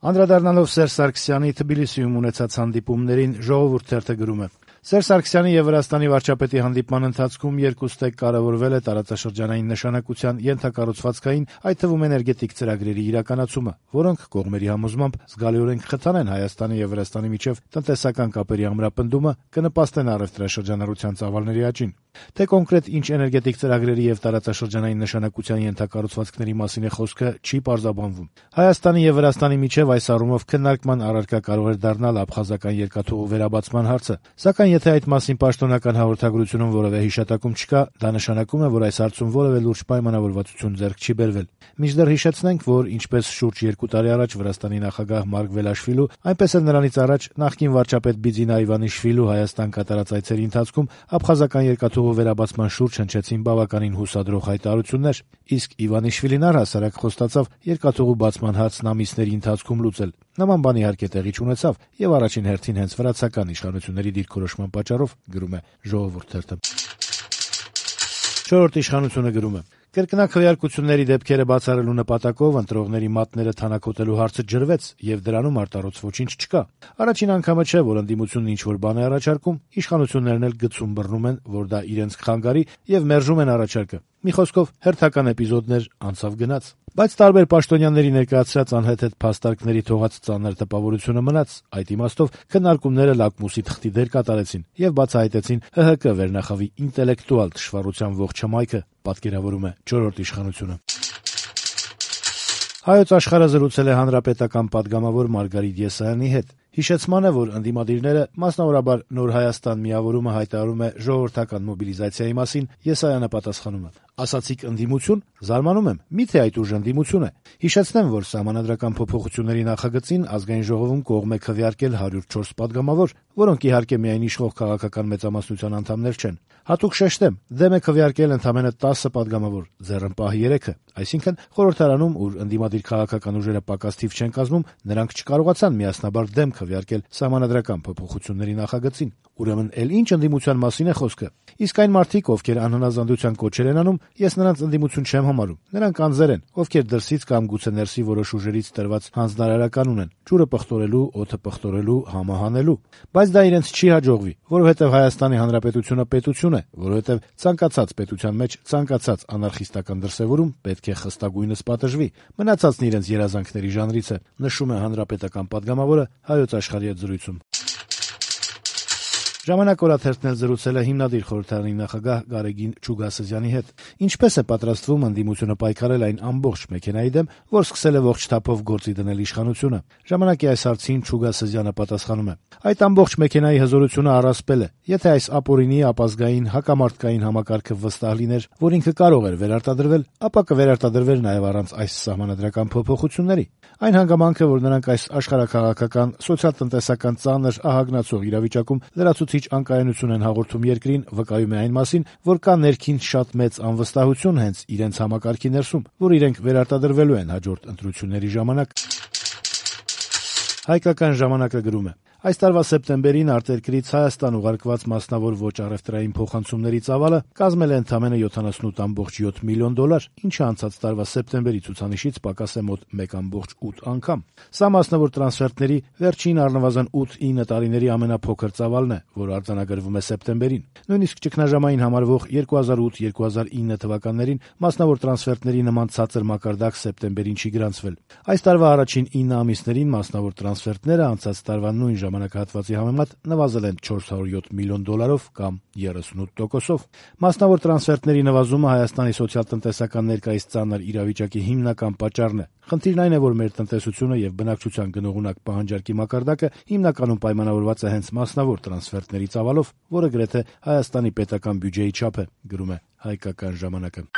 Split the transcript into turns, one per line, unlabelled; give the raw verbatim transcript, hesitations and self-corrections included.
Անդրադառնալով Սերժ Սարգսյանի Թբիլիսիում ունեցած հանդիպումներին «Ժողովուրդ» թերթը գրում է. Սերժ Սարգսյանի եւ Վրաստանի վարչապետի հանդիպման ընթացքում երկուստեք կարեւորվել է տարածաշրջանային նշանակության ենթակառուցվածքային, այդ թվում էներգետիկ ծրագրերի իրականացումը, որոնք կողմերի համոզմամբ զգալիորեն կխթանեն Հայաստանի եւ Վրաստանի միջեւ տնտեսական կապերի ամրապնդումը, կնպաստեն առեւտրաշրջանառության ծավալների աճին։ Թե կոնկրետ ինչ էներգետիկ ծրագրերի եւ տարածաշրջանային նշանակության ենթակառուցվածքների մասին է խոսքը, չի պարզաբանվում։ Հայաստանի եւ Վրաստանի միջեւ այս առումով քննարկման առարկա կարող էր դառնալ աբխազական երկաթուղու վերաբացման հարցը, սակայն եթե այդ մասին պաշտոնական հաղորդագրությունում որևէ հիշատակում չկա, դա նշանակում է, որ այս հարցում որևէ լուրջ պայմանավորվածություն ձեռք չի բերվել։ Մինչդեռ հիշեցնենք, որ ինչպես շուրջ երկու տարի առաջ Վրաստանի նախագահ Մարկ Վելաշվիլու, այնպես էլ նրանից առաջ նախկին վարչապետ Բիձինա Իվանիշվիլու Հայաստան կատարած այցերի ընթացքում աբխազական երկաթուղու վերաբացման շուրջ հնչեցին բավականին հուսադրող հայտարարություններ, իսկ Իվանիշվիլին առհասարակ խոստացավ երկաթուղու բացման հարցն ամիսների ընթացքում լուծել։ Նման բան իհարկե տեղի չունեցավ եւ առաջին հերթին հենց վրացական իշխանությունների դիրքորոշման պատճառով, գրում է «Ժողովուրդ» թերթը։ Չորրորդ իշխանությունը գրում է. Կրկնակ քվեարկությունների դեպքերը բացառելու նպատակով ընտրողների մատները թանաքոտելու հարցը ջրվեց եւ դրանում արտարոց ոչինչ չկա։ Առաջին անգամը չէ, որ ընդդիմությունն ինչ-որ բան է առաջարկում, իշխանություններն էլ գցում բռնում են, որ դա իրենց կխանգարի եւ մերժում են առաջարկը։ Մի խոսքով հերթական էպիզոդներ անցավ գնաց։ Բայց տարբեր պաշտոնյաների ներկայացրած անհեթեթ փաստարկների թողած ծանր տպավորությունը մնաց։ Այդ իմաստով քննարկումները լակմուսի թղթի դեր կատարեցին եւ բացահայտեցին ՀՀԿ վերնախավի ինտելեկտուալ թշվառության ողջ հմայքը, պատկերավորում է չորրորդ իշխանությունը։ Հայոց աշխարհը զրուցել է հանրապետական պատգամավոր Մարգարիտ Եսայանի հետ։ Հիշեցման է, որ ընդդիմադիրները, մասնավորաբար Նոր Հայաստան միավորումը հայտարարում է ժողովրդական մոբիլիզացիայի մասին, Եսայանը պատասխանում է. «Ասացիք ընդդիմություն, զարմանում եմ, միթե այդ ուժ ընդդիմություն է։ Հիշեցնեմ, որ սահմանադրական փոփոխությունների նախագծին Ազգային ժողովում կողմ է քվեարկել հարյուր չորս պատգամավոր, որոնք իհարկե միայն իշխող քաղաքական մեծամասնության անդամներ չեն։ Հատուկ շեշտեմ, դեմ է քվեարկել ընդամենը տասը պատգամավոր, ձեռնպահ երեքը, այսինքն խորհրդարանում, ուր ընդդիմադիր քաղաքական ուժերը պակաս թիվ չեն կազմում, նրանք չկարողացան միասնաբար դեմ քվեարկել սահմանադրական փոփոխությունների նախագծին։ Ուրեմն էլ ինչ ընդդիմության մասին է խոսքը։ Իսկ այն մարդիկ, ովքեր անհնազանդության կոչեր են անում, ես նրանց ընդդիմություն չեմ համարում։ Նրանք անձեր են, ովքեր դրսից կամ գուցե ներսի որոշ ուժերից տրված հանձնարարական ունեն, ջուրը պղտորելու, օդը պղտորելու, համը հանելու։ Բայց դա իրենց չի հաջողվի, որովհետև Հայաստանի Հանրապետությունը պետություն է, որովհետև ցանկացած պետության մեջ ցանկացած անարխիստական դրսևորում պետք է խստագույնս պատժվի։ Մնացածն իրենց երազանքների ժանրից է, նշում է հանրապետական պատգամավորը Հայոց աշխարհի հետ զրույցում։ Ժամանակ օրաթերթն էլ զրուցել է հիմնադիր խորհրդարանի նախագահ Գարեգին Չուգասզյանի հետ։ Ինչպես է պատրաստվում ընդդիմությունը պայքարել այն ամբողջ մեքենայի դեմ, որ սկսել է ողջ թափով գործի դնել իշխանությունը։ Ժամանակի այս հարցին Չուգասզյանը պատասխանում է. այդ ամբողջ մեքենայի հզորությունը առասպել է։ Եթե այս ապօրինի ապազգային հակամարտկային համակարգը վստահ լիներ, որ ինքը կարող էր վերարտադրվել, ապա կվերարտադրվեր նաև առանց այս սահմանադրական փոփոխությունների։ Այն հանգամանքը, որ նրանք այս աշխարհաքաղաքական, սոցիալ-տնտեսական ծանր ահագնացող իրավիճակում լրացուցիչ անկայունություն են հաղորդում երկրին, վկայում է այն մասին, որ կա ներքին շատ մեծ անվստահություն հենց իրենց համակարգի ներսում, որ իրենք վերարտադրվելու են հաջորդ ընտրությունների ժամանակ։ Հայկական ժամանակը գրում է. Այս տարվա սեպտեմբերին արտերկրից Հայաստան ուղարկված մասնավոր ոչ առևտրային փոխանցումների ծավալը կազմել է ընդամենը յոթանասունութ կόμμα յոթ միլիոն դոլար, ինչը անցած տարվա սեպտեմբերի ցուցանիշից պակաս է մոտ մեկ կόμma ութ անգամ։ Սա մասնավոր տրանսֆերտների վերջին առնվազն ութ-ինը տարիների ամենափոքր ծավալն է, որ արձանագրվում է սեպտեմբերին։ Նույնիսկ ճգնաժամային համարվող երկու հազար ութ երկու հազար ինը թվականներին մասնավոր տրանսֆերտների նման ցածր մակարդակ սեպտեմբերին չի գրանցվել։ Այս տարվա առաջին ինը ամիսներին մասնավոր տրանսֆերտները անցած տարվա նույն ժամանակահատվածի համեմատ նվազել են չորս հարյուր յոթ միլիոն դոլարով կամ երեսունութ տոկոսով։ Մասնավոր տրանսֆերտների նվազումը Հայաստանի սոցիալ-տնտեսական ներկայիս ծանր իրավիճակի հիմնական պատճառն է։ Խնդիրն այն է, որ մեր տնտեսությունը եւ բնակչության գնողունակ պահանջարկի մակարդակը հիմնականում պայմանավորված է հենց մասնավոր տրանսֆերտների ծավալով, որը գրեթե Հայաստանի պետական բյուջեի չափ է, գրում է Հայկական ժամանակը։